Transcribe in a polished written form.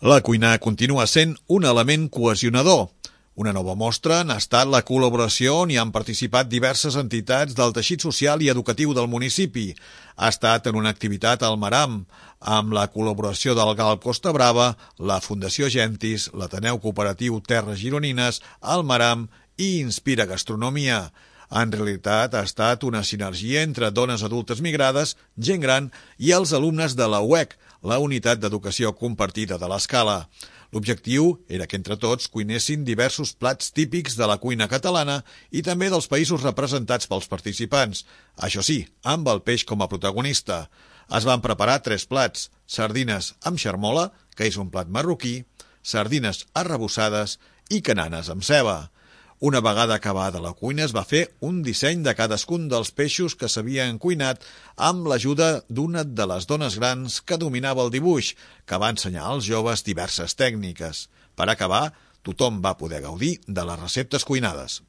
La cuina continua sent un element cohesionador. Una nova mostra n'ha estat la col·laboració on hi han participat diverses entitats del teixit social i educatiu del municipi. Ha estat en una activitat al Maram, amb la col·laboració del GAL Costa Brava, la Fundació Gentis, l'Ateneu Cooperatiu Terres Gironines, el Maram i Inspira Gastronomia. En realitat ha estat una sinergia entre dones adultes migrades, gent gran i els alumnes de la UEC, la Unitat d'Educació Compartida de l'Escala. L'objectiu era que entre tots cuinessin diversos plats típics de la cuina catalana i també dels països representats pels participants. Això sí, amb el peix com a protagonista. Es van preparar 3 plats: sardines amb xermola, que és un plat marroquí, sardines arrebossades i cananes amb ceba. Una vegada acabada la cuina es va fer un disseny de cadascun dels peixos que s'havien cuinat amb l'ajuda d'una de les dones grans que dominava el dibuix, que va ensenyar als joves diverses tècniques. Per acabar, tothom va poder gaudir de les receptes cuinades.